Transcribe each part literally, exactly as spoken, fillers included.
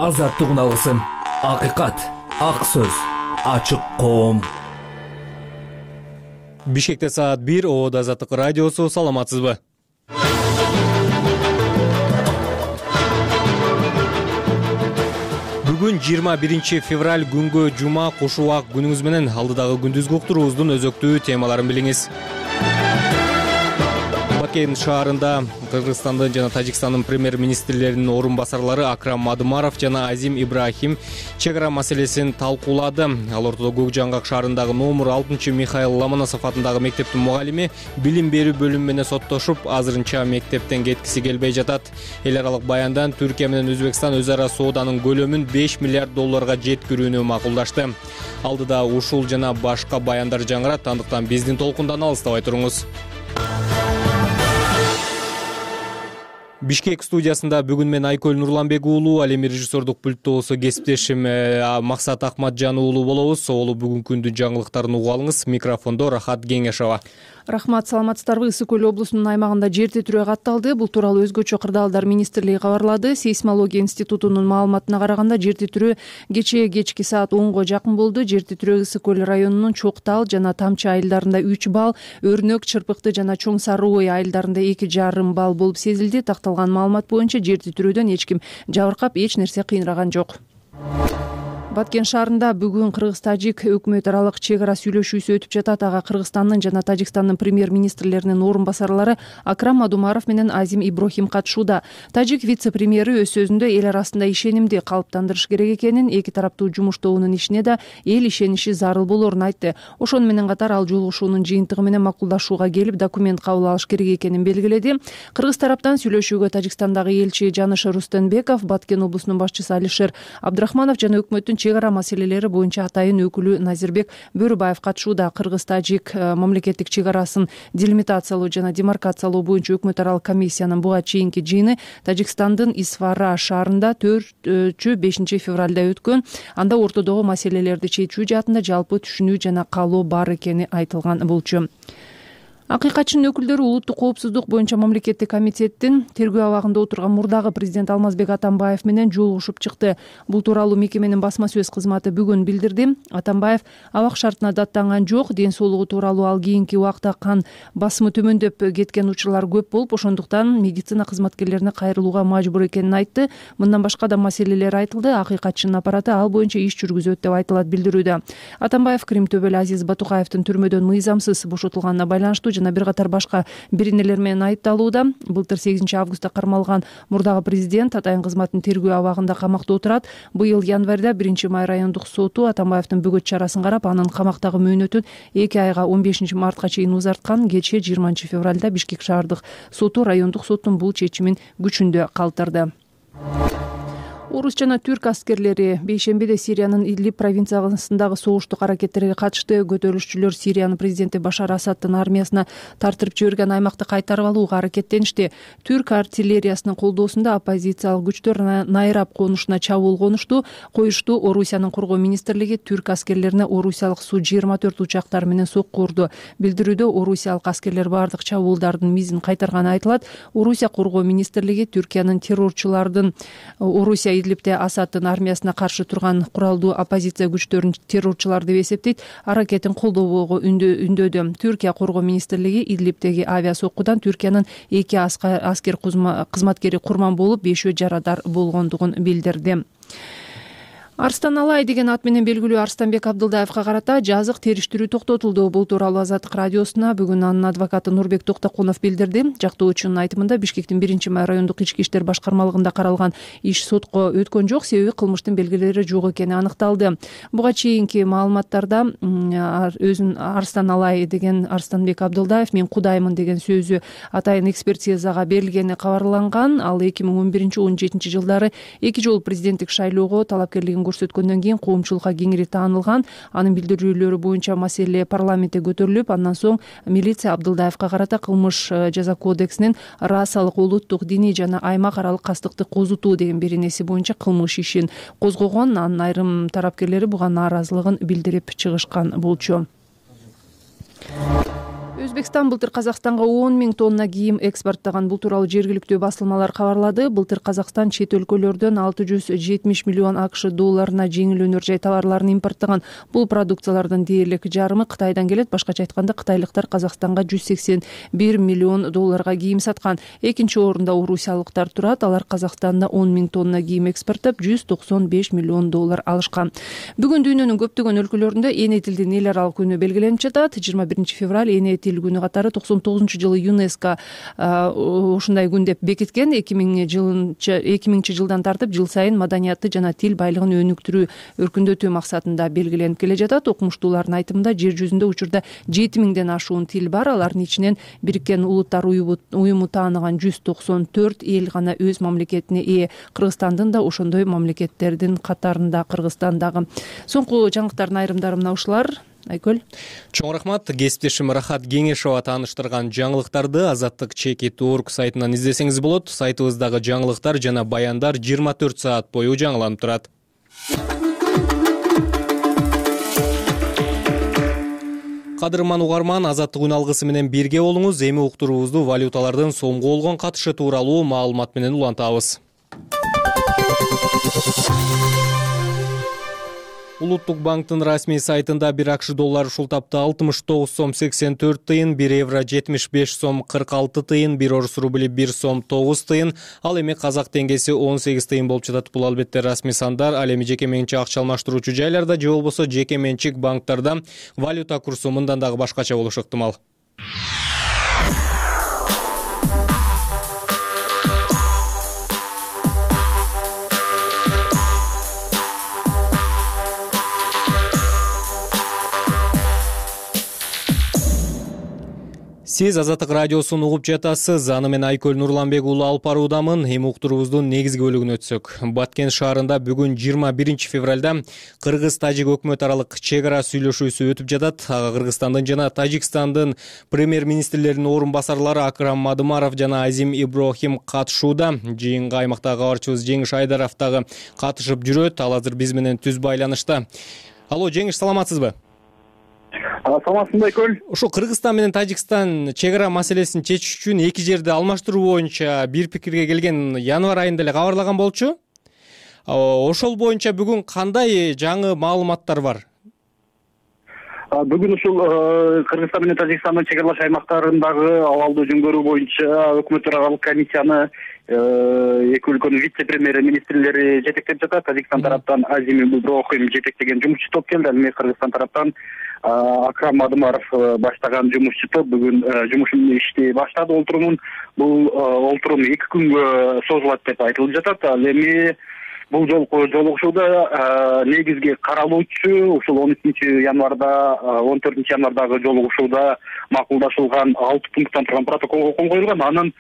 азаттык алгысым, акыйкат, ак сөз, ачык коом. Бишкекте саат бир, Обод Азаттык радиосу. Саламатсызбы? Бүгүн жыйырма биринчи февраль күнгө жума, куш убак күнүңүз менен. Алдыдагы күндүзгү уктуруубуздун өзөктүү темаларын билиңиз. Бакен шаарында Кыргызстандын жана Тажикстандын премьер-министрлеринин орун басарлары Акрам Мадымаров жана Азим Ибрахим чек ара маселесин талкуулады. Ал ортодо Көк Жаңгак шаарындагы номер алтынчы Михаил Ломоносов атындагы мектептин мугалими билим берүү бөлүмү менен соттошуп, азырынча мектептен кеткиси келбей жатат. Эл аралык баяндан Түркия менен Өзбекстан өз ара сооданын көлөмүн беш миллиард долларга жеткирүүнү макулдашты. Алдыда ушул жана башка баяндар жаңырат, андыктан биздин толкундан алыстабай туруңуз. Бишкек студиясында бүгүн мен Айкөл Нурланбек уулу, ал эми режиссердук пульттоосу кесиптешим Максат Акматжан уулу болобуз. Олу бүгүнкү күндүн жаңылыктарын угуп алыңыз. Микрофондо Рахат Кеңешова. Рахмат, саламатсыздарбы? Ысык көл облусунун аймагында жер титирөө катталды. Бул тууралуу Өзгөчө кырдаалдар министрлиги кабарлады. Сейсмология институтунун маалыматына караганда, жер титирөө кечээ кечки саат онго жакын болду. Жер титирөө Ысык көл районунун Чоктал жана Тамчы айылдарында үч балл, Өрнөк, Чырпыкты жана Чоң Сары ой айылдарында эки жарым балл болуп сезилди. Такталган маалымат боюнча жер титирөөдөн эч ким жабыркап, эч нерсе кыйнаган жок. Баткен шаарында бүгүн Кыргыз-Тажик өкмөт аралык чек ара сүйлөшүүсү өтүп жатат. Ага Кыргызстандын жана Тажикстандын премьер-министрлеринин орун басарлары Акрам Мадумаров менен Азим Ибрахим катышууда. Тажик вице-премьери өз сөзүндө эл арасында ишенимди калыптандырыш керек экенин, эки тараптуу жумуштоонун ишине да эл ишениши зарыл болорун айтты. Ошону менен катар ал жолугушуунун жыйынтыгы менен макулдашууга келип, документ кабыл алыш керек экенин белгиледи. Кыргыз тараптан сүйлөшүүгө Тажикстандагы элчи Жаныш Рустенбеков, Баткен облусунун башчысы Алишер Абдрахманов жана өкмөттүн чек ара маселелери боюнча атайын өкүлү Назирбек Бөрүбаев катышууда. Кыргыз-Тажик мамлекеттик чек арасын делимитациялоо жана демаркациялоо боюнча өкмөт аралык комиссиянын буга чейинки жыйыны Тажикстандын Исфара шаарында төртүнчү бешинчи февралда өткөн. Анда ортодогу маселелерди чечүү жаатында жалпы түшүнүү жана каалоо бар экени айтылган болчу. Акыйкатчынын өкүлдөрү улуттук коопсуздук боюнча мамлекеттик комитеттин тергөө абагында отурган мурдагы президент Алмазбек Атамбаев менен жолугушуп чыкты. Бул тууралуу мекеменин басма сөз кызматы бүгүн билдирди. Атамбаев абак шартына даттанган жок, ден соолугу тууралуу ал кийинки убакта кан басымы төмөндөп кеткен учурлар көп болуп, ошондуктан медицина кызматкерлерине кайрылууга мажбур экенин айтты. Мындан башка да маселелер айтылды. Акыйкатчынын аппараты ал боюнча иш жүргүзөт деп айтылат билдирүүдө. Атамбаев Крим төбөлү Азиз Батукаевдин түрмөдөн мыйзамсыз бошотулганына байланыштуу жана бир катар башка биринелер менен айыпталууда. Былтыр сегизинчи августта кармалган мурдагы президент атайын кызматтын тергөө абагында камакта отурат. Быйыл январда биринчи май райондук соту Атамбаевдин бөгөт чарасын карап, анын камактагы мөөнөтүн эки айга он бешинчи мартка чейин узарткан. Кечээ жыйырманчы февралда Бишкек шаардык соту райондук соттун бул чечимин күчүндө калтырды. Орус жана түрк аскерлери бейшембиде Сириянын Идлиб провинциясындагы согуштук аракеттерге катышты. Көтөрүлүшчүлөр Сириянын президенти Башар Асаддын армиясына тартырып жиберген аймакты кайтарып алууга аракеттеништи. Түрк артиллериясынын колдоосунда оппозициялык күчтөр Найраб конушуна чабуул конушту. Коюшту Орусиянын коргоо министрлиги түрк аскерлерине орусиялык Су жыйырма төрт учактары менен сокку урду. Билдирүүдө орусиялык аскерлер бардык чабуулдардын мизин кайтарганы айтылат. Орусия коргоо министрлиги Түркиянын террорчулардын Орусия Идлибде Асаддын армиясына каршы турган куралдуу оппозиция күчтөрүн террорчулар деп эсептейт. Аракетин колдоого үндөдү. Түркия коргоо министрлиги Идлибдеги авиа соккудан Түркиянын эки аскер кызматкери курман болуп, бешөө жарадар болгондугун билдирди. Арстан Алай деген ат менен белгилүү Арстанбек Абдылдаевга карата жазык териштирүү токтотулду. Бул тууралуу Азаттык радиосуна бүгүн анын адвокаты Нурбек Токтокунов билдирди. Жактоочунун айтымында, Бишкектин биринчи май райондук ички иштер башкармалыгында каралган иш сотко өткөн жок, себеби кылмыштын белгилери жок экени аныкталды. Буга чейинки маалыматтарда өзүн Арстан Алай деген Арстанбек Абдылдаев мен кудаймын деген сөзү атайын экспертизага берилгени кабарланган. Ал эки миң он биринчи он жетинчи жылдары эки жолу президенттик шайлоого талапкерлигин көрсөткөндөн кийин коомчулукка кеңири таанылган. Анын билдирүүлөрү боюнча маселе парламентте көтөрүлүп, андан соң милиция Абдылдаевга карата кылмыш жаза кодексинин расалык, улуттук, диний жана аймак аралык кастыкты козутуу деген беренеси боюнча кылмыш ишин козгогон. Анын айрым тарапкерлери буга нааразылыгын билдирип чыгышкан болчу. Өзбекстан былтыр Казакстанга он миң тонна кийим экспорттаган. Бул тууралуу жергиликтүү басылмалар кабарлады. Былтыр Казакстан чет өлкөлөрдөн алты жүз жетимиш миллион АКШ долларына жеңил өнөр жай товарларын импорттогон. Бул продукциялардын дээрлик жарымы Кытайдан келет. Башкача айтканда, кытайлыктар Казакстанга жүз сексен бир миллион долларга кийим саткан. Экинчи орунда орусиялыктар турат. Алар Казакстанда он миң тонна кийим экспорттоп, жүз токсон беш миллион доллар алышкан. Бүгүн дүйнөнүн көптөгөн өлкөлөрүндө эне тилдин эл аралык күнү белгиленип жатат. жыйырма биринчи февраль эне тил күнү катары токсон тогузунчу жылы ЮНЕСКО ушундай күн деп бекиткен. эки миңинчи жылдан тартып жыл сайын маданиятты жана тил байлыгын өнүктүрүү, өркүндөтүү максатында белгиленип келе жатат. Окумуштуулардын айтымында жер жүзүндө учурда жети миңден ашуун тил бар. Алардын ичинен Бириккен Улуттар уюму тааныган жүз токсон төрт эл гана өз мамлекетине ээ. Кыргызстандын да ошондой мамлекеттердин катарында. Кыргызстан дагы. Соңку жаңылыктардын айрымдары мына ушулар. Айкөл. Чоң рахмат. Кесиптешим Рахат Кеңешова тааныштырган жаңылыктарды Азаттык чекит точка орг сайтынан издесеңиз болот. Сайтыбыздагы жаңылыктар жана баяндар жыйырма төрт саат бою жаңыланып турат. Кадырман угарман, Азаттык үн алгысы менен бирге болуңуз. Эми уктуруубузду валюталардын сомго болгон катышы тууралуу маалымат менен улантабыз. Улуттук банктын расмий сайтында бир АКШ доллары ушул тапта алтымыш тогуз сом сексен төрт тыйын, бир евро жетимиш беш сом кырк алты тыйын, бир орус рубли бир сом тогуз тыйын, ал эми казак теңгеси он сегиз тыйын болуп жатат. Бул албетте расмий сандар. Ал эми жеке менчик акча алмаштыруучу жайларда же болбосо жеке менчик банктарда валюта курсу мындан дагы башкача болушу ыктымал. Сиз Азаттык радиосун угуп жатасыз. Аны мен Айкөл Нурланбек уулу алып баруудамын. Эми уктуруубуздун негизги бөлүгүнө өтсөк. Баткен шаарында бүгүн жыйырма биринчи февралда Кыргыз-Тажик өкмөт аралык чек ара сүйлөшүүсү өтүп жатат. Кыргызстандын жана Тажикстандын премьер-министрлеринин орун басарлары Акрам Мадымаров жана Азим Иброхим катышууда. Жыйынга аймактагы кабарчыбыз Жеңиш Айдаров дагы катышып жүрөт. Ал азыр биз менен түз байланышта. Алло, Жеңиш, саламатсызбы? Саламатсызбы, Айкөл? Ошо Кыргызстан менен Тажикстан чек ара маселесин чечиш үчүн эки жерди алмаштыруу боюнча бир пикирге келген январь айында эле кабарлаган болчу. Ошол боюнча бүгүн кандай жаңы маалыматтар бар? Бүгүн ушул Кыргызстан менен Тажикстандын чек аралаш аймактарындагы абалды жөнгөрүү боюнча өкмөт аралык комиссияны эки өлкөнүн вице-премьер министрлери жетектеп жатат. Тажикстан тараптан Азим Иброхим жетектеген жумушчу топ келди. Эми Кыргызстан тараптан Акрам Мадымаров баштаган жумушчу топ бүгүн жумушун ишти баштады. Олтурумун бул олтурум эки күнгө созулат деп айтылып жатат. Ал эми бул жолку жолугушууда негизги каралуучу ушул он үчүнчү январда он төртүнчү январдагы жолугушууда макулдашылган алты пункттан турган протоколго кол коюлган. Анын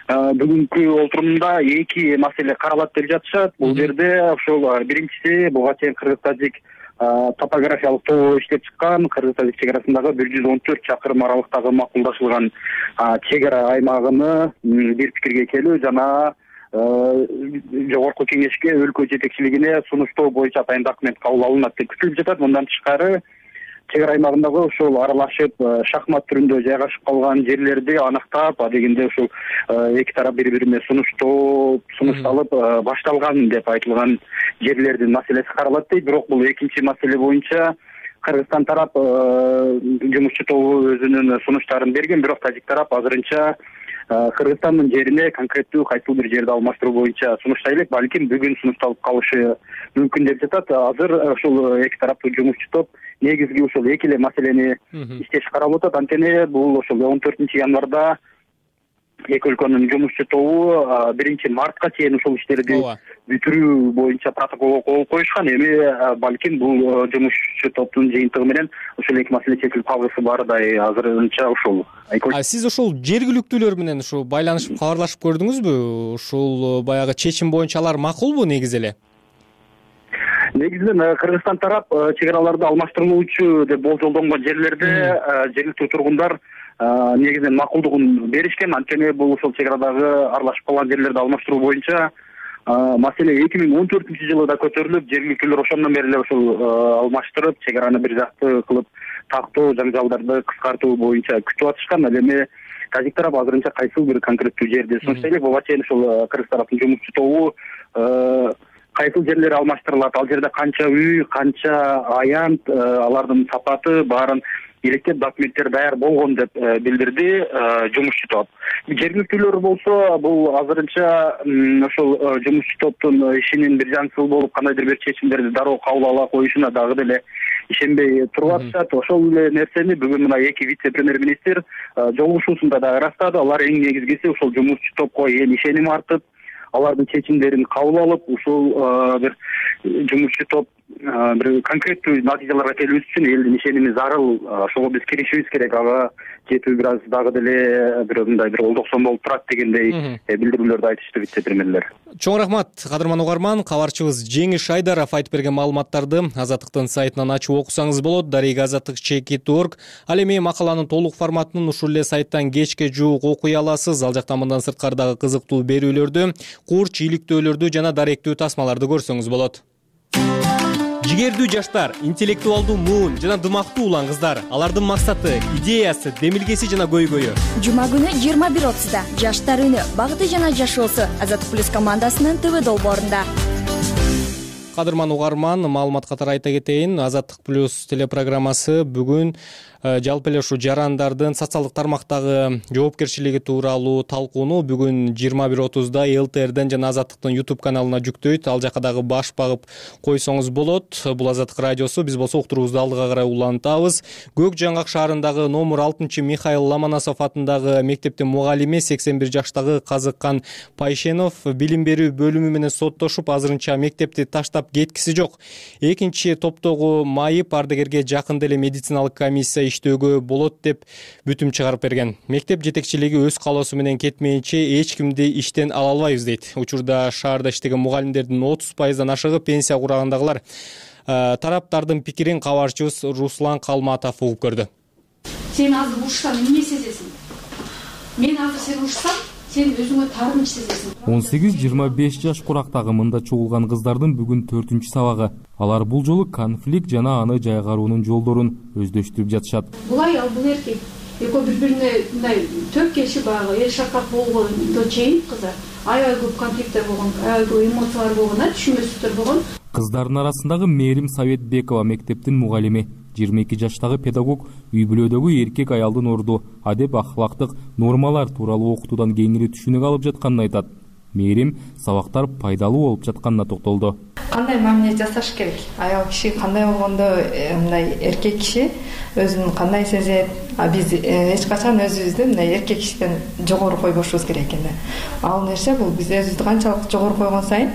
бүгүнкү олтурумунда эки маселе каралат деп жатышат. Бул жерде ошол биринчиси буга чейин Кыргыз-Тажик топографиялык тобу иштеп чыккан Кыргыз-Тажик чек арасындагы бир жүз он төрт чакырым аралыктагы макулдашылган чек ара аймагыны бир пикирге келүү жана жогорку кеңешке өлкө жетекчилигине сунуштоо боюнча атайын документ кабыл алынат деп күтүлүп жатат. Мындан тышкары чек ара аймагындагы ушул аралашып шахмат түрүндө жайгашып калган жерлерди аныктап, адегенде ушул эки тарап бири бирине сунуштоо сунушталып башталган деп айтылган жерлердин маселеси каралат дейт. Бирок бул экинчи маселе боюнча Кыргызстан тарап жумушчу тобу өзүнүн сунуштарын берген, бирок Тажик тарап азырынча Кыргызстандын жерине конкреттүү кайсыл бир жерди алмаштыруу боюнча сунуштай элек, балким бүгүн сунушталып калышы мүмкүн деп жатат. Азыр ушул эки тараптуу жумушчу топ негизги ушул эки эле маселени иштеш карап атат. Анткени бул ошол он төртүнчү январда эки өлкөнүн жумушчу тобу биринчи мартка чейин ушул иштерди бүтүрүү боюнча протоколго кол коюшкан. Эми балким бул жумушчу топтун жыйынтыгы менен ушул эки маселе чечилип калгысы бардай азырынча ушул. А сиз ошол жергиликтүүлөр менен ушу байланышып кабарлашып көрдүңүзбү? Ушул баягы чечим боюнча алар макулбу негизи эле? Негизинен Кыргызстан тарап чек араларды алмаштырылуучу деп болжолдонгон жерлерде жергиликтүү тургундар негизинен макулдугун беришкен. Анткени бул ушул чек арадагы аралашып калган жерлерди алмаштыруу боюнча маселе эки миң он төртүнчү жылы да көтөрүлүп, жергиликтүүлөр ошондон бери эле ушул алмаштырып, чек араны бир жакты кылып тактоо жаңжалдарды кыскартуу боюнча күтүп атышкан. Ал эми тажик тарап азырынча кайсыл бир конкреттүү жерде сунуштап элек буга чейин ушул кыргыз тараптын жумушчу тобу кайсыл жерлер алмаштырылат, ал жерде канча үй, канча аянт, алардын сапаты баарын иликтеп документтер даяр болгон деп билдирди жумушчу топ. Жергиликтүүлөр болсо бул азырынча ошол жумушчу топтун ишинин бир жаңсыл болуп кандайдыр бир чечимдерди дароо кабыл ала коюшуна дагы деле ишенбей туруп атышат. Ошол эле нерсени бүгүн мына эки вице-премьер-министр жолугушуусунда да ырастады. Алар эң негизгиси ушул жумушчу топко эл ишеним артып, алардын чечимдерин кабыл алып, ушул бир жумушчу топ бир конкреттүү натыйжаларга келүүбүз үчүн элдин ишеними зарыл. Ошого биз киришибиз керек. Ага жетүү бир аз дагы деле бир мындай бир олдоксон болуп турат дегендей билдирүүлөрдү айтышты вице-премьерлер. Чоң рахмат, кадырман угарман. Кабарчыбыз Жеңиш Айдаров айтып берген маалыматтарды Азаттыктын сайтынан ачып окусаңыз болот. Дарега азаттык чекит точка орг. Ал эми макаланын толук форматын ушул эле сайттан кечке жуук окуй аласыз. Ал жактан мындан сырткардагы кызыктуу берүүлөрдү, курч, иликтөөлөрдү жана даректүү тасмаларды көрсөңүз болот. Жигердүү жаштар, интеллектуалдуу муун жана дымактуу улан кыздар. Алардын максаты, идеясы, демилгеси жана көйгөйү. Жума күнү жыйырма бир отузда Жаштар үнү, багыты жана жашоосу Азаттык плюс командасынын ТВ долбоорунда. Кадырман угарман, маалымат катары айта кетейин. Азаттык плюс телепрограммасы бүгүн жалпы эле ушу жарандардын социалдык тармактагы жоопкерчилиги тууралуу талкууну бүгүн жыйырма бир отузда эл тэ эрден жана Азаттыктын YouTube каналына жүктөйт. Ал жака дагы баш багып койсоңуз болот. Бул Азаттык радиосу. Биз болсо уктуруубузду алдыга карай улантабыз. Көк Жаңгак шаарындагы номер алтынчы Михаил Ломоносов атындагы мектептин мугалими сексен бир жаштагы Казыккан Пайшенов билим берүү бөлүмү менен соттошуп, азырынча мектепти таштап кеткиси жок. Экинчи топтогу майып ардагерге жакын деле медициналык комиссия иштөөгө болот деп бүтүм чыгарып берген. Мектеп жетекчилиги өз калоосу менен кетмейинче эч кимди иштен ала албайбыз дейт. Учурда шаарда иштеген мугалимдердин отуз пайыздан ашыгы пенсия курагындагылар. Тараптардын пикирин кабарчыбыз Руслан Калматов угуп көрдү. Сен азыр урушсаң эмне сезесиң? Мен азыр сени урушсам, сен өзүңө таарыныч сезесиң. он сегиз жыйырма беш жаш курактагы мында чогулган кыздардын бүгүн төртүнчү сабагы. Алар бул жолу конфликт жана аны жайгаруунун жолдорун өздөштүрүп жатышат. Бул аял, бул эркек экөө бири-бирине мындай төп келишип баягы эл шакак болгондо чейин кыздар аябай көп конфликттер болгон, аябай көп эмоциялар болгон, түшүнбөстүктөр болгон. Кыздардын арасындагы Мээрим Советбекова мектептин мугалими, жыйырма эки жаштагы педагог үй бүлөдөгү эркек аялдын орду, адеп ахлактык нормалар тууралуу окутуудан кеңири түшүнүк алып жатканын айтат. Мээрим сабактар пайдалуу болуп жатканына токтолду. Кандай мамиле жасаш керек? Аял киши кандай болгондо мындай эркек киши өзүн кандай сезет? А биз эч качан өзүбүздү мындай эркек кишиден жогору койбошубуз керек экен. Ал нерсе бул биз өзүбүздү канчалык жогору койгон сайын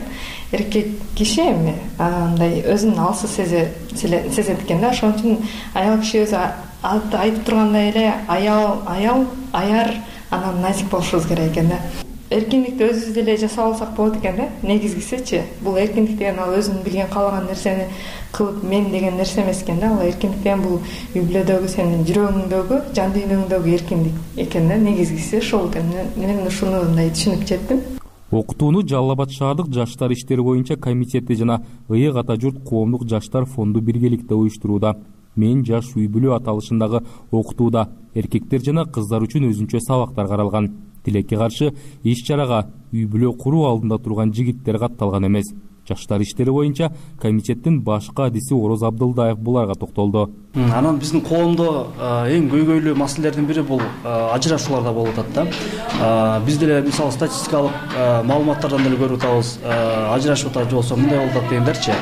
эркек киши эми мындай өзүн алсыз сезет экен да. Ошон үчүн аял киши өзү айтып тургандай эле аял аял аяр анан назик болушубуз керек экен да. Эркиндикти өзүбүз деле жасап алсак болот экен да. Негизгисичи бул эркиндик деген ал өзүн билген каалаган нерсени кылып мен деген нерсе эмес экен да. Ал эркиндик деген бул үй бүлөдөгү сенин жүрөгүңдөгү, жан дүйнөңдөгү эркиндик экен да. Негизгиси ошол экен. Мен ушуну мындай түшүнүп жеттим. Окутууну Жалал Абад шаардык жаштар иштери боюнча комитети жана Ыйык ата журт коомдук жаштар фонду биргеликте уюштурууда. Мен жаш үй бүлө аталышындагы окутууда эркектер жана кыздар үчүн өзүнчө сабактар каралган. Тилекке каршы иш чарага үй бүлө куруу алдында турган жигиттер катталган эмес. Жаштар иштери боюнча комитеттин башкы адиси Ороз Абдылдаев буларга токтолду. Анан биздин коомдо эң көйгөйлүү маселелердин бири бул ажырашууларда болуп атат да. Биз деле мисалы статистикалык маалыматтардан деле көрүп атабыз. Ажырашып атат же болбосо мындай болуп атат дегендерчи.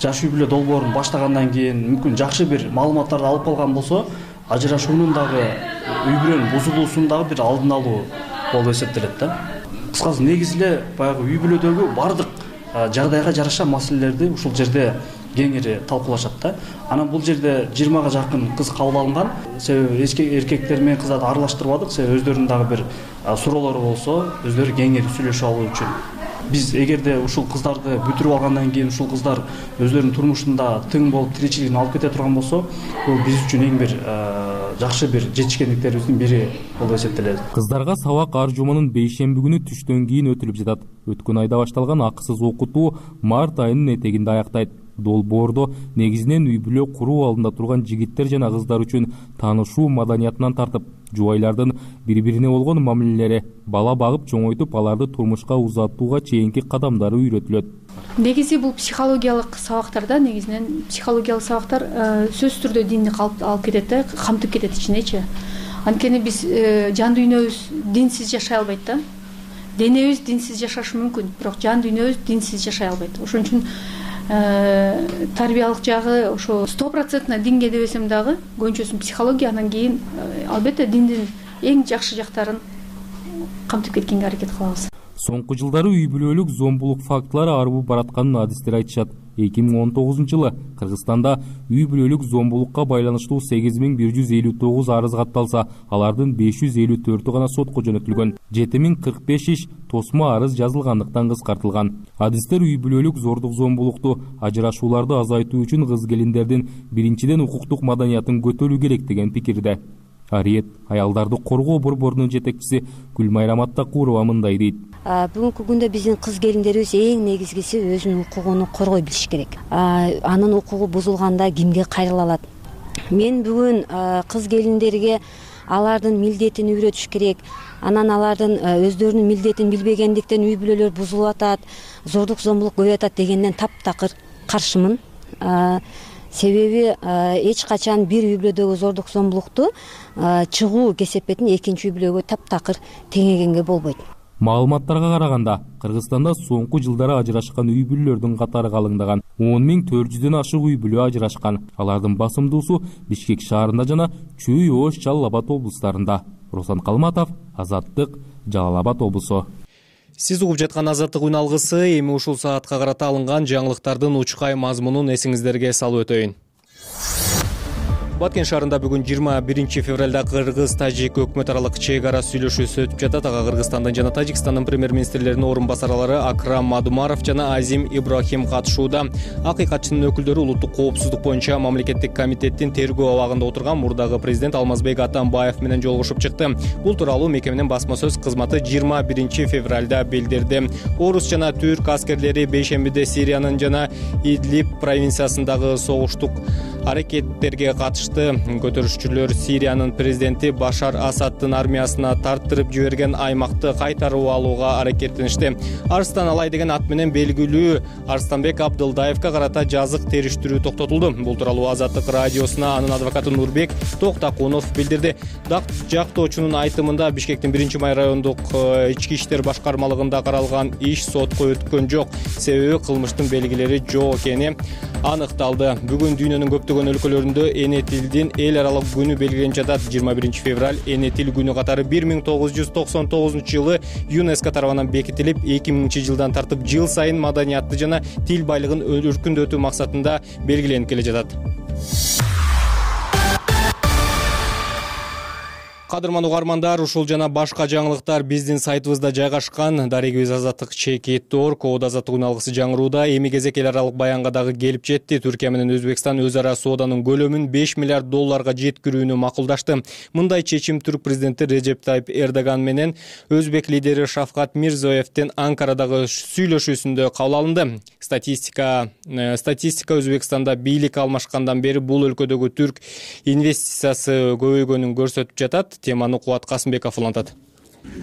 Жаш үй бүлө долбоорун баштагандан кийин мүмкүн жакшы бир маалыматтарды алып калган болсо, ажырашуунун дагы үй бүлөнүн бузулуусун дагы бир алдын алуу болуп эсептелет да. Кыскасы негизи эле баягы үй бүлөдөгү бардык жагдайга жараша маселелерди ушул жерде кеңири талкуулашат да. Анан бул жерде жыйырмага жакын кыз кабыл алынган. Себеби эркектер менен кыздарды аралаштырбадык. Себеби өздөрүнүн дагы бир суроолору болсо, өздөрү кеңири сүйлөшүп алуу үчүн. Биз эгерде ушул кыздарды бүтүрүп алгандан кийин ушул кыздар өздөрүнүн турмушунда тың болуп тиричилигин алып кете турган болсо, бул биз үчүн эң бир жакшы бир жетишкендиктерибиздин бири болуп эсептелет. Кыздарга сабак ар жуманын бейшемби күнү түштөн кийин өтүлүп жатат. Өткөн айда башталган акысыз окутуу март айынын этегинде аяктайт. долбоордо негизинен үй бүлө куруу алдында турган жигиттер жана кыздар үчүн таанышуу маданиятынан тартып, жубайлардын бири бирине болгон мамилелери, бала багып чоңойтуп, аларды турмушка узатууга чейинки кадамдары үйрөтүлөт. Негизи бул психологиялык сабактарда, негизинен психологиялык сабактар сөзсүз түрдө динди алып кетет да, камтып кетет ичинечи. Анткени биз жан дүйнөбүз динсиз жашай албайт да. Денебиз динсиз жашашы мүмкүн, бирок жан дүйнөбүз динсиз жашай албайт. Ошон үчүн тарбиялык жагы ошо сто процентно динге дебесем дагы, көбүнчөсүн психология, анан кийин албетте диндин эң жакшы жактарын камтып кеткенге аракет кылабыз. Соңку жылдары үй бүлөлүк зомбулук фактылары арбып баратканын адистер айтышат. эки миң он тогузунчу жылы Кыргызстанда үй бүлөлүк зомбулукка байланыштуу сегиз миң бир жүз элүү тогуз арыз катталса, алардын беш жүз элүү төртү гана сотко жөнөтүлгөн. жети миң кырк беш иш тосмо арыз жазылгандыктан кыскартылган. Адистер үй бүлөлүк зордук зомбулукту, ажырашууларды азайтуу үчүн кыз келиндердин биринчиден укуктук маданиятын көтөрүү керек деген пикирде. Ариет аялдарды коргоо борборунун жетекчиси Гүлмайра Маттакурова мындай дейт. Бүгүнкү күндө биздин кыз келиндерибиз эң негизгиси өзүнүн укугун коргой билиш керек. Анын укугу бузулганда кимге кайрыла алат? Мен бүгүн кыз келиндерге алардын милдетин үйрөтүш керек. Анан алардын өздөрүнүн милдетин билбегендиктен үй бүлөлөр бузулуп атат, зордук зомбулук көбөйүп атат дегенден таптакыр каршымын. Себеби эч качан бир үй бүлөдөгү зордук зомбулукту чыгуу кесепетин экинчи үй бүлөгө таптакыр теңегенге болбойт. Маалыматтарга караганда, Кыргызстанда соңку жылдары ажырашкан үй бүлөлөрдүн катары калыңдаган. он миң төрт жүздөн ашык үй бүлө ажырашкан. Алардын басымдуусу Бишкек шаарында жана Чүй, Ош, Жалал Абад облустарында. Руслан Калматов, Азаттык, Жалал Абад облусу. Сиз угуп жаткан Азаттык үн алгысы эми ушул саатка карата алынган жаңылыктардын учкай мазмунун эсиңиздерге салып өтөйүн. Баткен шаарында бүгүн жыйырма биринчи февралда Кыргыз-Тажик өкмөт аралык чек ара сүйлөшүүсү өтүп жатат. Ага Кыргызстандын жана Тажикстандын премьер-министрлеринин орун басарлары Акрам Мадумаров жана Азим Ибрахим катышууда. Акыйкатчынын өкүлдөрү улуттук коопсуздук боюнча мамлекеттик комитеттин тергөө абагында отурган мурдагы президент Алмазбек Атамбаев менен жолугушуп чыкты. Бул тууралуу мекеменин басма сөз кызматы жыйырма биринчи февралда билдирди. Орус жана түрк аскерлери бейшембиде Сириянын жана Идлиб провинциясындагы согуштук аракеттерге катышты. Көтөрүшчүлөр Сириянын президенти Башар Асаддын армиясына тарттырып жиберген аймакты кайтарып алууга аракеттеништи. Арстан Алай деген ат менен белгилүү Арстанбек Абдылдаевка карата жазык териштирүү токтотулду. Бул тууралуу Азаттык радиосуна анын адвокаты Нурбек Токтакунов билдирди. Дак жактоочунун айтымында Бишкектин биринчи май райондук ички иштер башкармалыгында каралган иш сотко өткөн жок. Себеби кылмыштын белгилери жок экени аныкталды. Бүгүн дүйнөнүн көптөгөн өлкөлөрүндө эне тилдин эл аралык күнү белгиленип жатат. жыйырма биринчи февраль эне тил күнү катары бир миң тогуз жүз токсон тогузунчу жылы ЮНЕСКО тарабынан бекитилип, эки миңинчи жылдан тартып жыл сайын маданиятты жана тил байлыгын өркүндөтүү максатында белгиленип келе жатат. Кадырман угармандар, ушул жана башка жаңылыктар биздин сайтыбызда жайгашкан. Дарегибиз Азаттык чекит орг, Оодо Азаттык үн алгысы жаңырууда. Эми кезек эл аралык баянга дагы келип жетти. Түркия менен Өзбекстан өз ара сооданын көлөмүн беш миллиард долларга жеткирүүнү макулдашты. Мындай чечим түрк президенти Режеп Тайып Эрдоган менен өзбек лидери Шавкат Мирзиёевдин Анкарадагы сүйлөшүүсүндө кабыл алынды. Статистика статистика Өзбекстанда бийлик алмашкандан бери бул өлкөдөгү түрк инвестициясы көбөйгөнүн көрсөтүп жатат. Теманы Кубат Касымбеков улантат.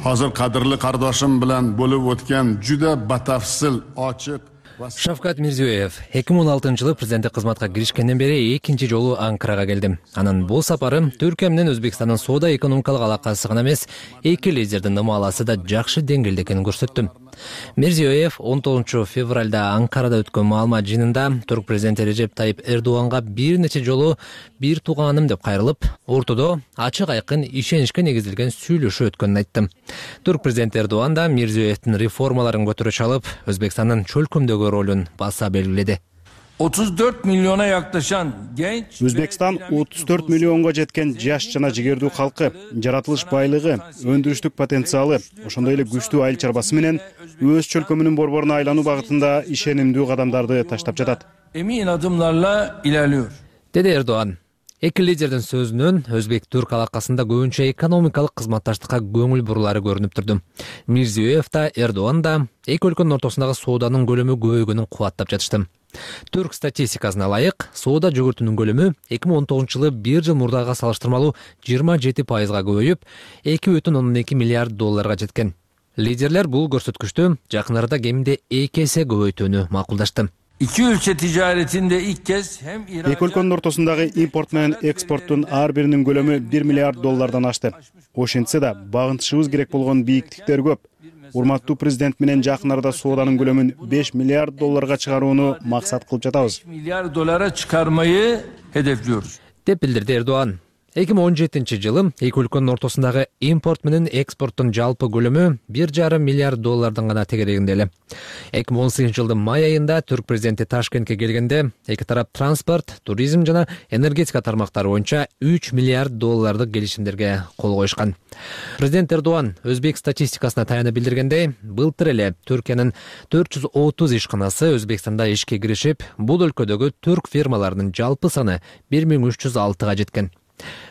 Hozir qadrli qardoshim bilan bo'lib o'tgan juda batafsil, ochiq Шавкат Мирзиёев эки миң он алтынчы жылы президенттик кызматка киришкенден бери экинчи жолу Анкарага келдим. Анын бул сапары Түркия менен Өзбекстандын соода экономикалык алакасы гана эмес, эки лидердин ымаласы да жакшы деңгээлде экенин көрсөттү. Мирзиёев он тогузунчу февралда Анкарада өткөн маалымат жыйынында турк президенти Режеп Тайып Эрдоганга бир нече жолу бир тууганым деп кайрылып, ортодо ачык айкын ишеничке негизилген сүйлөшүү өткөнүн айтты. Турк президенти Эрдоган да Мирзиёевдин реформаларын көтөрө чалып, Өзбекстандын чөлкөмдөгү ролун баса белгиледи. otuz dört milyona yaklaşan genç Өзбекстан отуз төрт миллионго жеткен жаш жана жигердүү калкы, жаратылыш байлыгы, өндүрүштүк потенциалы, ошондой эле күчтүү айыл чарбасы менен өз чөлкөмүнүн борборуна айлануу багытында ишенимдүү кадамдарды таштап жатат. Emin adımlarla ilerliyor. Деди Эрдоган. Эки лидердин сөзүнөн Өзбек-Түрк алакасында көбүнчө экономикалык кызматташтыкка көңүл бурулары көрүнүп турду. Мирзиёев да, Эрдоган да эки өлкөнүн ортосундагы сооданын көлөмү көбөйгөнүн кубаттап жатышты. Түрк статистикасына ылайык, соода жүгүртүүнүн көлөмү эки миң он тогузунчу жылы бир жыл мурдага салыштырмалуу жыйырма жети пайызга көбөйүп, эки бүтүн ондон эки миллиард долларга жеткен. Лидерлер бул көрсөткүчтү жакын арада кеминде эки эсе көбөйтүүнү макулдашты. İki ülke ticaretinde ilk kez hem Эки өлкөнүн ортосундагы импорт менен экспорттун ар биринин көлөмү бир миллиард доллардан ашты. Ошентсе да багынтышыбыз керек болгон бийиктиктер көп. Урматтуу президент менен жакын арада сооданын көлөмүн беш миллиард долларга чыгарууну максат кылып жатабыз. milyar dolara çıkarmayı hedefliyoruz. деп билдирди Эрдоган. эки миң он жетинчи жылы эки өлкөнүн ортосундагы импорт менен экспорттун жалпы көлөмү бир жарым миллиард доллардан гана тегерегинде эле. эки миң он сегизинчи жылдын май айында түрк президенти Ташкентке келгенде эки тарап транспорт, туризм жана энергетика тармактары боюнча үч миллиард доллардык келишимдерге кол коюшкан. Президент Эрдоган өзбек статистикасына таянып билдиргендей, былтыр эле Түркиянын төрт жүз отуз ишканасы Өзбекстанда ишке киришип, бул өлкөдөгү түрк фирмаларынын жалпы саны бир миң үч жүз алтыга жеткен.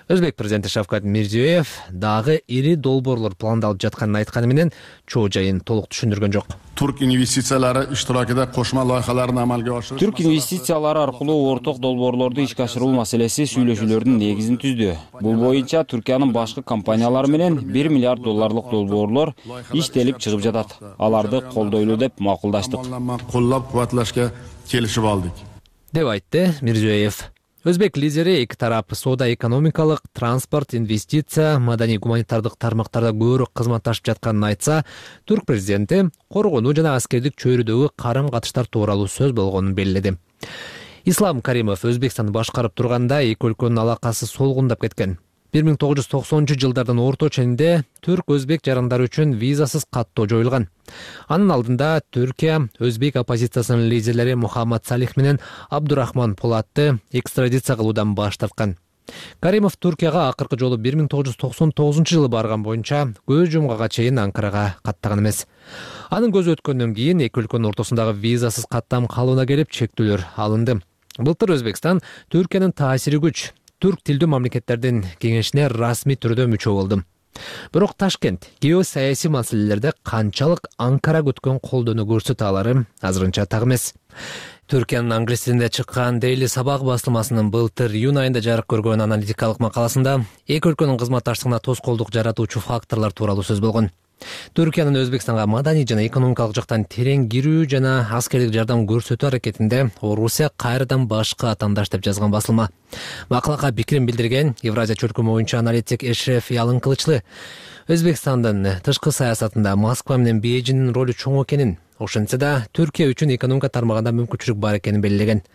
Өзбек президенти Шавкат Мирзиёев дагы ири долбоорлор пландалып жатканын айтканы менен чоо жайын толук түшүндүргөн жок. Türk investitsiyalari iştirakida qo'shma loyihalarni amalga oshirish. Түрк инвестициялары аркылуу орток долбоорлорду ишке ашыруу маселеси сүйлөшүүлөрдүн негизин түздү. Бул боюнча Түркиянын башкы компаниялары менен бир миллиард долларлык долбоорлор иштелип чыгып жатат. Аларды колдойлуу деп макулдаштык. Qo'llab-quvvatlashga kelishib oldik. деп айтты Мирзиёев. Өзбек лидери эки тарап соода экономикалык, транспорт, инвестиция, маданий гуманитардык тармактарда көбүрөөк кызматташып жатканын айтса, түрк президенти коргонуу жана аскердик чөйрөдөгү карым катыштар тууралуу сөз болгонун белгиледи. Ислам Каримов Өзбекстанды башкарып турганда эки өлкөнүн алакасы солгундап кеткен. бир миң тогуз жүз токсонунчу жылдардын орто ченинде түрк-өзбек жарандары үчүн визасыз каттоо жоюлган. Анын алдында Түркия өзбек оппозициясынын лидерлери Мухаммад Салих менен Абдурахман Полатты экстрадиция кылуудан баш тарткан. Каримов Түркияга акыркы жолу бир миң тогуз жүз токсон тогузунчу жылы барган боюнча көз жумгага чейин Анкарага каттаган эмес. Анын көзү өткөндөн кийин эки өлкөнүн ортосундагы визасыз каттам калыбына келип чектөөлөр алынды. Былтыр Өзбекстан Түркиянын таасири күч түрк тилдүү мамлекеттердин кеңешине расмий түрдө мүчө болду. Бирок Ташкент геосаясий маселелерде канчалык Анкара күткөн колдоону көрсөтө алары азырынча так эмес. Түркиянын англис тилинде чыккан Daily Sabah басылмасынын былтыр июнь айында жарык көргөн аналитикалык макаласында эки өлкөнүн кызматташтыгына тоскоолдук жаратуучу факторлор тууралуу сөз болгон. Түркиянын Өзбекстанга маданий жана экономикалык жактан терең кирүү жана аскердик жардам көрсөтүү аракетинде Орусия кайрадан башкы атаандаш деп жазган басылма. Макалага пикирин билдирген Евразия чөлкөмү боюнча аналитик Эшреф Ялын Кылычлы Өзбекстандын тышкы саясатында Москва менен Бейжиңдин ролу чоң экенин, ошентсе да Түркия үчүн экономика тармагында мүмкүнчүлүк бар экенин белгилеген.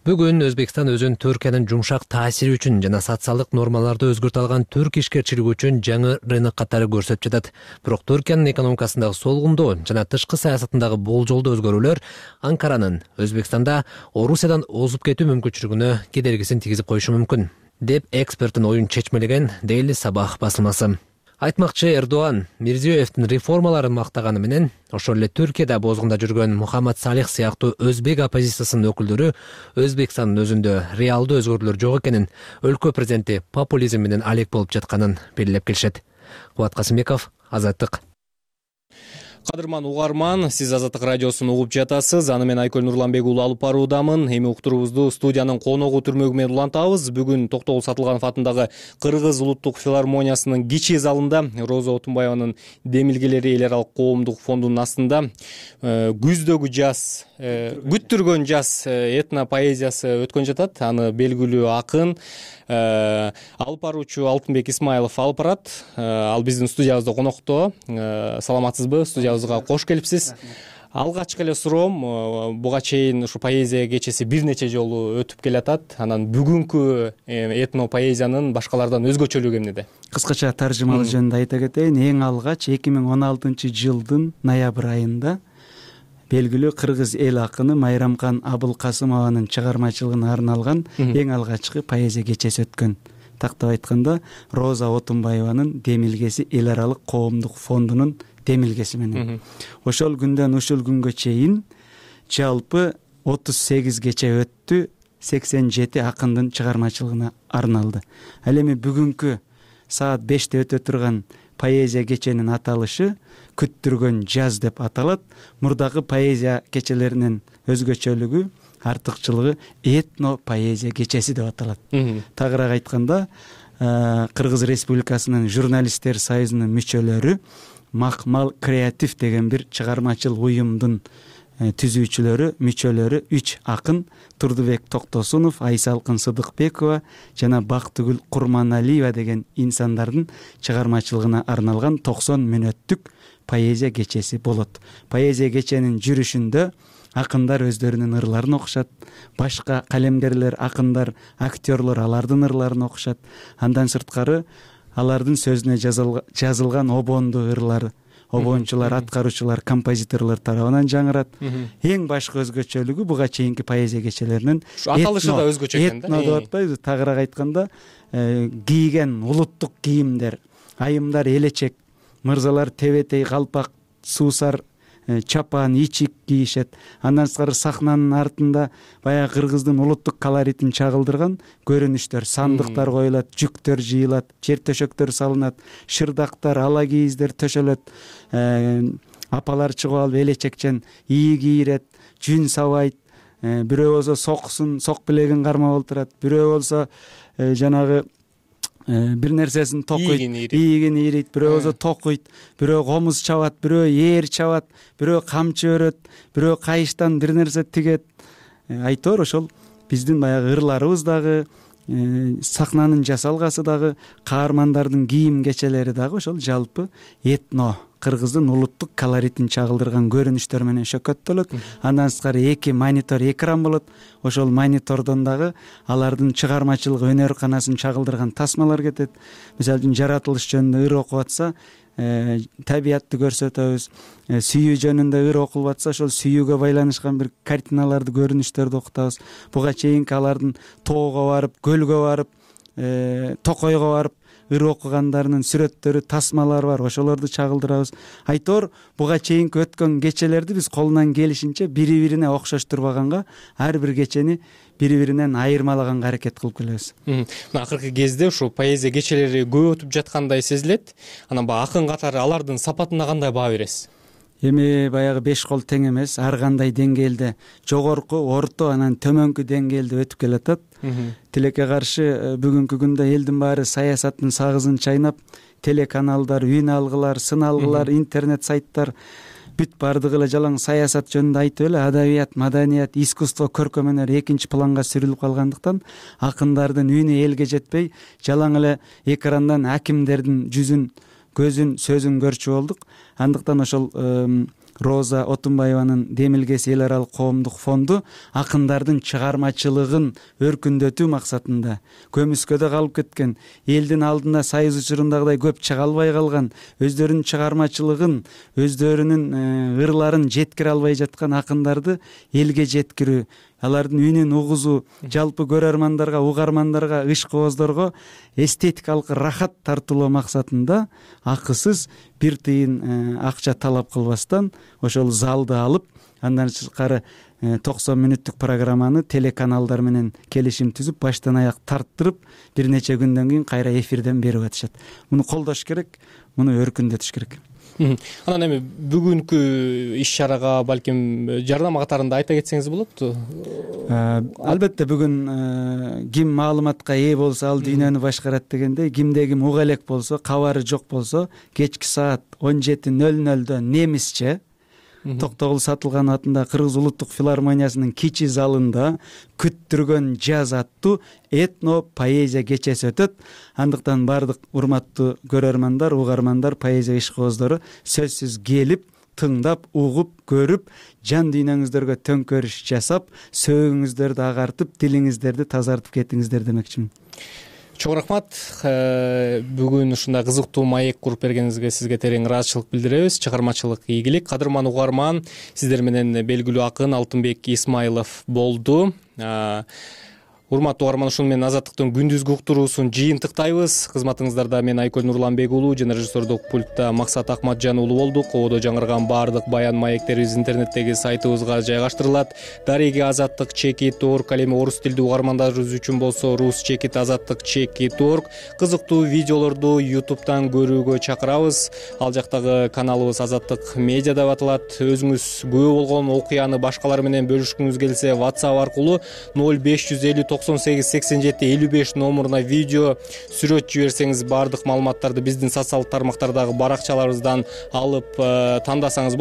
Бүгүн Өзбекстан өзүн Түркиянын жумшак таасири үчүн жана социалдык нормаларды өзгөртө алган түрк ишкерчилиги үчүн жаңы рынок катары көрсөтүп жатат. Бирок Түркиянын экономикасындагы солгундоо жана тышкы саясатындагы болжолдуу өзгөрүүлөр Анкаранын Өзбекстанда Орусиядан озуп кетүү мүмкүнчүлүгүнө кедергисин тийгизип коюшу мүмкүн, деп эксперттин оюн чечмелеген Daily Sabah басылмасы. Айтмакчы Эрдоган Мирзиёевдин реформаларын мактаганы менен, ошол эле Түркияда бозгунда жүргөн Мухаммад Салих сыяктуу өзбек оппозициясынын өкүлдөрү Өзбекстандын өзүндө реалдуу өзгөрүүлөр жок экенин, өлкө президенти популизм менен алек болуп жатканын белгилеп келишет. Кубат Касымбеков, Азаттык. Кадырман угарман, сиз Азаттык радиосун угуп жатасыз. Аны мен Айкөл Нурланбек уулу алып баруудамын. Эми уктуруубузду студиянын коногу түрмөгү менен улантабыз. Бүгүн Токтогул Сатылганов атындагы Кыргыз улуттук филармониясынын кичи залында Роза Отунбаеванын демилгелери эл аралык коомдук фондунун астында күздөгү жаз, күттүргөн жаз этно поэзиясы өткөн жатат. Аны белгилүү акын алып баруучу Алтынбек Исмаилов алып барат. Ал биздин студиябызда конокто. Саламатсызбы? Студиябызга кош келипсиз. Алгачкы эле суроом, буга чейин ушу поэзия кечеси бир нече жолу өтүп келатат. Анан бүгүнкү этно поэзиянын башкалардан өзгөчөлүгү эмнеде? Кыскача таржымалоо жөнүндө айта кетейин. Эң алгач эки миң он алтынчы жылдын ноябрь айында белгилүү кыргыз эл акыны Майрамкан Абылкасымованын чыгармачылыгына арналган эң алгачкы поэзия кечеси өткөн. Тактап айтканда, Роза Отунбаеванын демилгеси эл аралык коомдук фондунун демилгеси менен. Ошол күндөн ушул күнгө чейин жалпы отуз сегизгече өттү, сексен жети акындын чыгармачылыгына арналды. Ал эми бүгүнкү саат беште өтө турган поэзия кеченин аталышы күттүргөн жаз деп аталат. Мурдагы поэзия кечелеринин өзгөчөлүгү артыкчылыгы этно поэзия кечеси деп аталат. Тагыраак айтканда, Кыргыз Республикасынын журналисттер союзунун мүчөлөрү Макмал креатив деген бир чыгармачыл уюмдун түзүүчүлөрү, мүчөлөрү үч акын Турдубек Токтосунов, Айсалкын Сыдыкбекова жана Бактыгүл Курманалиева деген инсандардын чыгармачылыгына арналган токсон мүнөттүк поэзия кечеси болот. Поэзия кеченин жүрүшүндө акындар өздөрүнүн ырларын окушат, башка калемгерлер, акындар, актерлор алардын ырларын окушат. Андан сырткары алардын сөзүнө жазылган обондуу ырлар обончулар, аткаруучулар, композиторлор тарабынан жаңырат. Эң башкы өзгөчөлүгү буга чейинки поэзия кечелеринин аталышы да өзгөчө экен да. Этно деп атпайбызбы? Тагыраак айтканда, кийген улуттук кийимдер, айымдар элечек, мырзалар тебетей, калпак, суусар, чапан, ичик кийишет. Андан сырткары сахнанын артында баягы кыргыздын улуттук колоритин чагылдырган көрүнүштөр, сандыктар коюлат, жүктөр жыйылат, жер төшөктөр салынат, шырдактар, ала кийиздер төшөлөт. Апалар чыгып алып элечекчен ийи кийирет, жүн сабайт. Бирөө болсо соксун, сок билегин кармап отурат. Бирөө болсо жанагы бир нерсесин токуйт, ийигин ийрейт, бирөө болсо токуйт, бирөө комуз чабат, бирөө ээр чабат, бирөө камчы өрөт, бирөө кайыштан бир нерсе тигет. Айтор ошол биздин баягы ырларыбыз дагы, сахнанын жасалгасы дагы, каармандардын кийим кечелери дагы ошол жалпы этно, кыргыздын улуттук колоритин чагылдырган көрүнүштөр менен шөкөттөлөт. Андан сырткары эки монитор экран болот. Ошол монитордон дагы алардын чыгармачылык өнөр канасын чагылдырган тасмалар кетет. Мисалы үчүн жаратылыш жөнүндө ыр окуп атса, табиятты көрсөтөбүз. Сүйүү жөнүндө ыр окулуп атса, ошол сүйүүгө байланышкан бир картиналарды, көрүнүштөрдү окутабыз. Буга чейинки алардын тоого барып, көлгө барып, токойго барып ыр окугандарынын сүрөттөрү, тасмалары бар, ошолорду чагылдырабыз. Айтор буга чейинки өткөн кечелерди биз колунан келишинче бири-бирине окшоштурбаганга, ар бир кечени бири-биринен айырмалаганга аракет кылып келебиз. Мына акыркы кезде ушул поэзия кечелери көп өтүп жаткандай сезилет. Анан баягы акын катары алардын сапатына кандай баа бересиз? Эми баягы беш кол тең эмес, ар кандай деңгээлде жогорку, орто, анан төмөнкү деңгээлде өтүп келатат. Тилекке каршы бүгүнкү күндө элдин баары саясаттын сагызын чайнап, телеканалдар, үн алгылар, сын алгылар, интернет сайттар бүт бардыгы эле жалаң саясат жөнүндө айтып эле адабият, маданият, искусство, көркөм өнөр экинчи планга сүрүлүп калгандыктан акындардын үнү элге жетпей, жалаң эле экрандан акимдердин жүзүн, көзүн, сөзүн көрчү болдук. Андыктан ошол Роза Отунбаеванын Демилгеси эл аралык коомдук фонду акындардын чыгармачылыгын өркүндөтүү максатында көмүскөдө калып кеткен, элдин алдына сайыз учурундагыдай көп чыга албай калган, өздөрүнүн чыгармачылыгын, өздөрүнүн ырларын жеткире албай жаткан акындарды элге жеткирүү, алардын үнүн угузуу, жалпы көрөрмандарга, угармандарга, ишкыбоздорго эстетикалык рахат тартуулоо максатында акысыз бир тыйын акча талап кылбастан ошол залды алып, андан сырткары токсон мүнөттүк программаны телеканалдар менен келишим түзүп, баштан аяк тарттырып, бир нече күндөн кийин кайра эфирден берип атышат. Муну колдош керек, муну өркүндөтүш керек. Анан эми бүгүнкү иш-чарага балким жардам катарында айта кетсеңиз болот? Албетте бүгүн ким маалыматка ээ болсо ал дүйнөнү башкарат дегендей, кимде ким уга элек болсо, кабары жок болсо, кечки саат он жети нөл нөлдө немисче Токтогул Сатылганов атындагы Кыргыз улуттук филармониясынын кичи залында күттүргөн жаз аттуу этно поэзия кечеси өтөт. Андыктан бардык урматтуу көрөрмандар, угармандар, поэзия ишкыбоздору сөзсүз келип, тыңдап, угуп, көрүп, жан дүйнөңүздөргө төңкөрүш жасап, сөөгүңүздөрдү агартып, тилиңиздерди тазартып кетиңиздер демекчимин. Чоң рахмат. Бүгүн ушундай кызыктуу маек куруп бергениңизге сизге терең ыраазычылык билдиребиз. Чыгармачылык ийгилик. Кадырман угарман, сиздер менен белгилүү акын Алтынбек Исмайлов болду. Урматтуу угарман, ушуну менен Азаттыктын күндүзгү уктуруусун жыйынтыктайбыз. Кызматыңыздарда мен Айкөл Нурланбек уулу жана режиссердук пультта Максат Акматжан уулу болдук. Кободо жаңырган баардык баян маектерибиз интернеттеги сайтыбызга жайгаштырылат. Дареги Азаттык чекит точка орг, ал эми орус тилдүү угармандарыбыз үчүн болсо рус чекит азаттык чекит точка орг. Кызыктуу видеолорду ютубтан көрүүгө чакырабыз. Ал жактагы каналыбыз Азаттык медиа деп аталат. Өзүңүз күбө болгон окуяны башкалар менен бөлүшкүңүз келсе WhatsApp аркылуу ноль беш жүз элүү токсон сегиз сексен жети элүү беш номуруна видео, сүрөт жиберсеңиз баардык маалыматтарды биздин социалдык тармактардагы баракчаларыбыздан алып тандасаңыз